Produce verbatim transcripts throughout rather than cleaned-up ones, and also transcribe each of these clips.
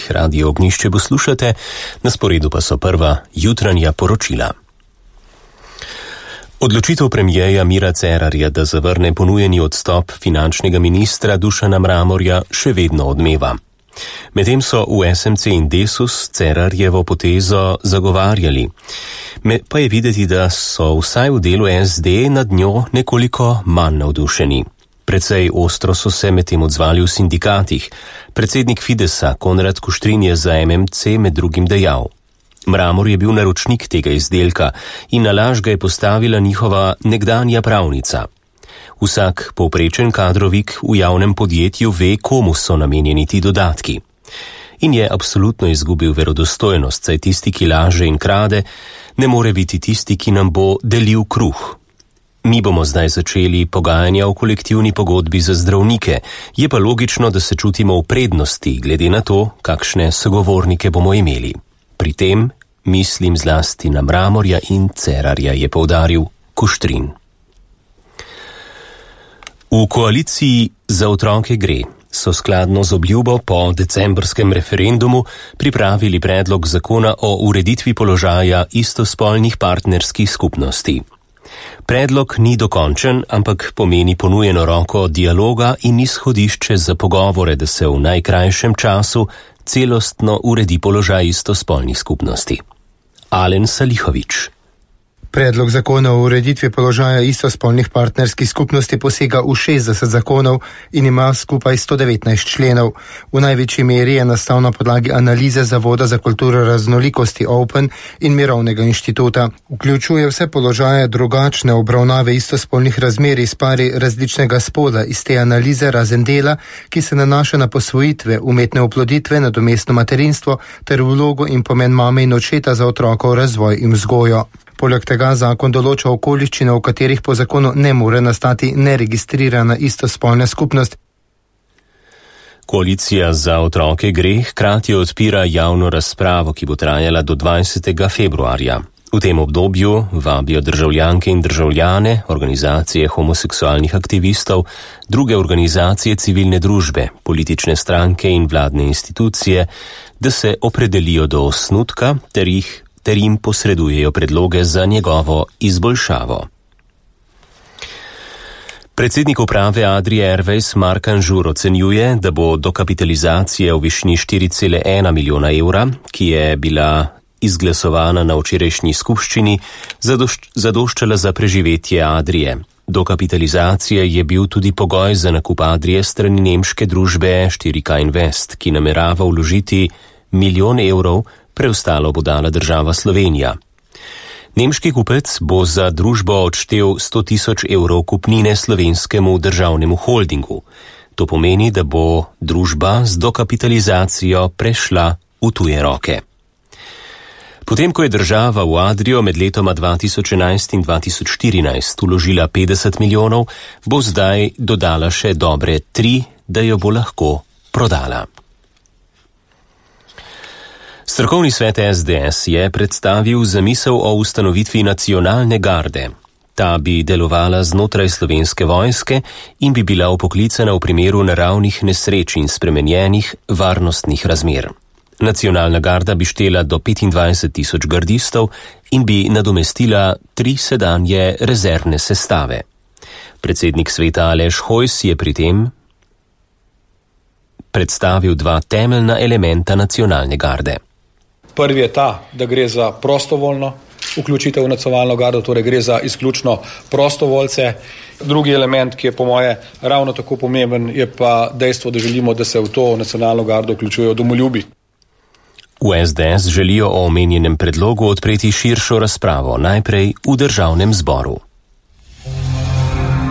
Radio Ognjišče poslušate, na sporedu pa so prva jutranja poročila. Odločitev premierja Mira Cerarja, da zavrne ponujeni odstop finančnega ministra Dušana Mramorja, še vedno odmeva. Medtem so v S M C in Desus Cerarjevo potezo zagovarjali. Me pa je videti, da so vsaj v delu S D nad njo nekoliko manj navdušeni. Precej ostro so se medtem odzvali v sindikatih. Predsednik Fidesa Konrad Kuštrin je za M M C med drugim dejal: Mramor je bil naročnik tega izdelka in na laž ga je postavila njihova nekdanja pravnica. Vsak povprečen kadrovik v javnem podjetju ve, komu so namenjeni ti dodatki. In je absolutno izgubil verodostojnost, saj tisti, ki laže in krade, ne more biti tisti, ki nam bo delil kruh. Mi bomo zdaj začeli pogajanja o kolektivni pogodbi za zdravnike, je pa logično, da se čutimo v prednosti, glede na to, kakšne sogovornike bomo imeli. Pri tem mislim zlasti na Mramorja in Cerarja, je poudaril Kuštrin. V koaliciji Za otroke gre so skladno z obljubo po decembrskem referendumu pripravili predlog zakona o ureditvi položaja istospolnih partnerskih skupnosti. Predlog ni dokončen, ampak pomeni ponujeno roko dialoga in izhodišče za pogovore, da se v najkrajšem času celostno uredi položaj istospolnih skupnosti. Alen Salihovič. Predlog zakona o ureditvi položaja istospolnih partnerskih skupnosti posega v šestdeset zakonov in ima skupaj sto devetnajst členov. V največji meri je nastal na podlagi analize Zavoda za kulturo raznolikosti Open in Mirovnega inštituta. Vključuje vse položaje drugačne obravnave istospolnih razmerij s pari različnega spola iz te analize, razen dela, ki se nanaša na posvojitve, umetne oploditve, nadomestno materinstvo ter vlogo in pomen mame in očeta za otrokov razvoj in vzgojo. Poleg tega zakon določa okoliščine, v katerih po zakonu ne more nastati neregistrirana istospolna skupnost. Koalicija Za otroke gre hkrati odpira javno razpravo, ki bo trajala do dvajsetega februarja. V tem obdobju vabijo državljanke in državljane, organizacije homoseksualnih aktivistov, druge organizacije civilne družbe, politične stranke in vladne institucije, da se opredelijo do osnutka ter jih ter jim posredujejo predloge za njegovo izboljšavo. Predsednik uprave Adrie Airways Mark Anžur ocenjuje, da bo dokapitalizacija v višini štiri cela ena milijona evra, ki je bila izglasovana na včerajšnji skupščini, zadošč, zadoščala za preživetje Adrie. Dokapitalizacija je bil tudi pogoj za nakup Adrie strani nemške družbe štiri K Invest, ki namerava vložiti milijon evrov, preostalo bo dala država Slovenija. Nemški kupec bo za družbo odštel sto tisoč evrov kupnine slovenskemu državnemu holdingu. To pomeni, da bo družba z dokapitalizacijo prešla v tuje roke. Potem, ko je država v Adrio med letoma dva tisoč enajst in dva tisoč štirinajst vložila petdeset milijonov, bo zdaj dodala še dobre tri, da jo bo lahko prodala. Strokovni svet S D S je predstavil zamisel o ustanovitvi nacionalne garde. Ta bi delovala znotraj Slovenske vojske in bi bila vpoklicana v primeru naravnih nesreč in spremenjenih varnostnih razmer. Nacionalna garda bi štela do petindvajset tisoč gardistov in bi nadomestila tri sedanje rezervne sestave. Predsednik sveta Aleš Hojs je pri tem predstavil dva temeljna elementa nacionalne garde. Prvi je ta, da gre za prostovoljno vključitev v nacionalno gardo, torej gre za izključno prostovoljce. Drugi element, ki je po moje ravno tako pomemben, je pa dejstvo, da želimo, da se v to nacionalno gardo vključujejo domoljubi. V S D S želijo o omenjenem predlogu odpreti širšo razpravo, najprej v državnem zboru.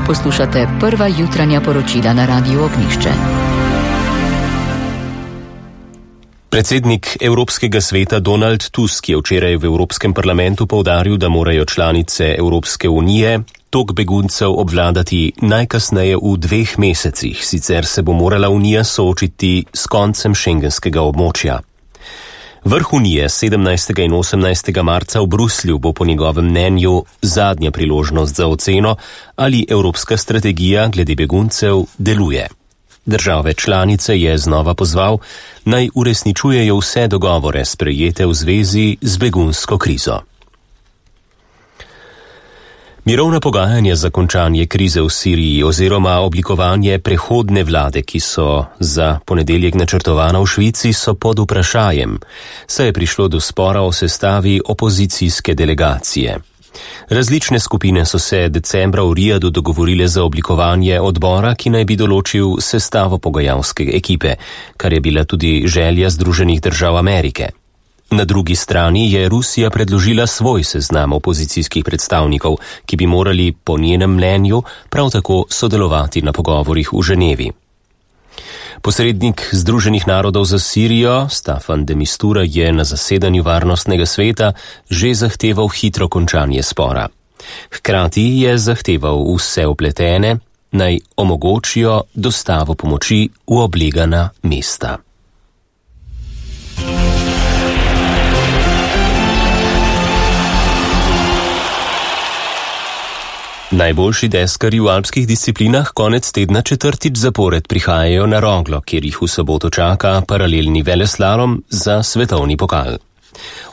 Poslušate prva jutranja poročila na Radiu Ognjišče. Predsednik Evropskega sveta Donald Tusk je včeraj v Evropskem parlamentu poudaril, da morajo članice Evropske unije tok beguncev obvladati najkasneje v dveh mesecih, sicer se bo morala Unija soočiti s koncem šengenskega območja. Vrh Unije sedemnajstega in osemnajstega marca v Bruslju bo po njegovem mnenju zadnja priložnost za oceno, ali evropska strategija glede beguncev deluje. Države članice je znova pozval, naj uresničujejo vse dogovore sprejete v zvezi z begunsko krizo. Mirovna pogajanja za končanje krize v Siriji oziroma oblikovanje prehodne vlade, ki so za ponedeljek načrtovana v Švici, so pod vprašajem, saj je prišlo do spora o sestavi opozicijske delegacije. Različne skupine so se decembra v Rijadu dogovorile za oblikovanje odbora, ki naj bi določil sestavo pogajalske ekipe, kar je bila tudi želja Združenih držav Amerike. Na drugi strani je Rusija predložila svoj seznam opozicijskih predstavnikov, ki bi morali po njenem mnenju prav tako sodelovati na pogovorih v Ženevi. Posrednik Združenih narodov za Sirijo, Staffan de Mistura, je na zasedanju Varnostnega sveta že zahteval hitro končanje spora. Hkrati je zahteval vse vpletene, naj omogočijo dostavo pomoči v oblegana mesta. Najboljši deskarji v alpskih disciplinah konec tedna četrtič zapored prihajajo na Roglo, kjer jih v soboto čaka paralelni veleslalom za svetovni pokal.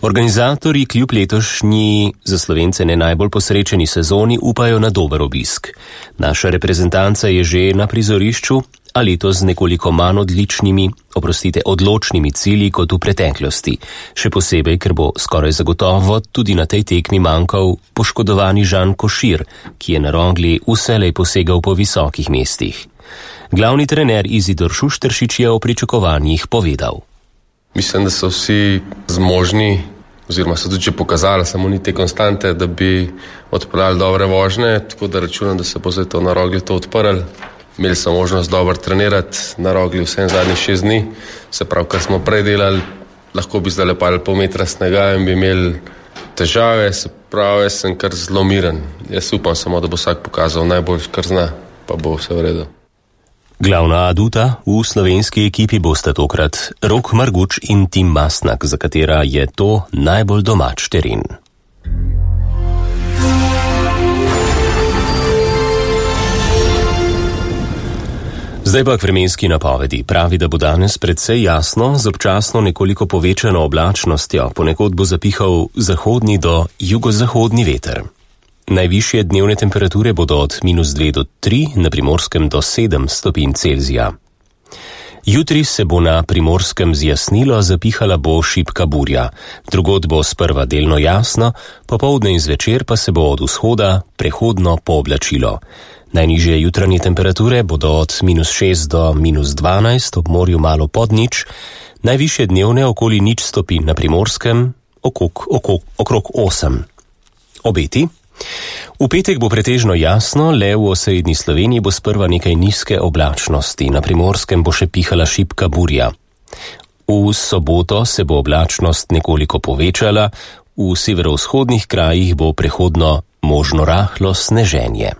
Organizatorji kljub letošnji za Slovence ne najbolj posrečeni sezoni upajo na dober obisk. Naša reprezentanca je že na prizorišču, a letos z nekoliko manj odličnimi, oprostite, odločnimi cilji kot v preteklosti. Še posebej, ker bo skoraj zagotovo tudi na tej tekmi manjkal poškodovani Žan Košir, ki je na Rogli vselej posegal po visokih mestih. Glavni trener Izidor Šušteršič je o pričakovanjih povedal. Mislim, da so vsi zmožni, oziroma so tudi že pokazali, samo ni te konstante, da bi odpeljali dobre vožnje, tako da računam, da se bo zdaj to na Rogli to odprl. Imeli smo možnost dobro trenirati na Rogli vsem zadnjih šest dni, se pravi, kar smo prej delali, lahko bi zdaj lepali pol metra snega in bi imeli težave, se pravi, jaz sem kar zelo miren. Jaz upam samo, da bo vsak pokazal najbolj, kar zna, pa bo vse v redu. Glavna aduta v slovenski ekipi bosta tokrat Rok Marguč in Tim Masnak, za katera je to najbolj domač teren. Zdaj pa k vremenski napovedi. Pravi, da bo danes precej jasno, z občasno nekoliko povečano oblačnostjo, ponekod bo zapihal zahodni do jugozahodni veter. Najvišje dnevne temperature bodo od minus dve do tri, na Primorskem do sedem stopinj Celzija. Jutri se bo na Primorskem zjasnilo, zapihala bo šibka burja. Drugod bo sprva delno jasno, popoldne in zvečer pa se bo od vzhoda prehodno pooblačilo. Najnižje jutranje temperature bodo od minus šest do minus dvanajst, ob morju malo pod nič, najvišje dnevne okoli nič stopinj na Primorskem, okrog, okrog, okrog osem. Obeti? V petek bo pretežno jasno, le v osrednji Sloveniji bo sprva nekaj nizke oblačnosti, na Primorskem bo še pihala šibka burja. V soboto se bo oblačnost nekoliko povečala, v severovzhodnih krajih bo prehodno možno rahlo sneženje.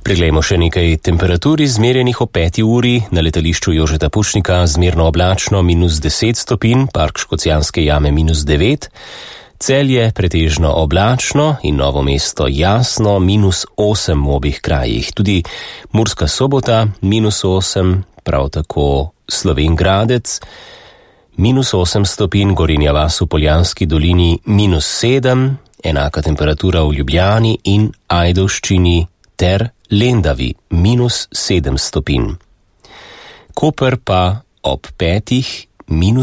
Preglejmo še nekaj temperatur izmerjenih o peti uri, na letališču Jožeta Pučnika zmerno oblačno minus deset stopinj, Park Škocjanske jame minus devet, Celje pretežno oblačno in Novo mesto jasno minus osem v obih krajih. Tudi Murska Sobota minus osem, prav tako Slovenj Gradec minus osem stopinj, Gorenja vas v Poljanski dolini minus sedem, enaka temperatura v Ljubljani in Ajdovščini ter Lendavi minus sedem stopinj. Koper pa ob petih minus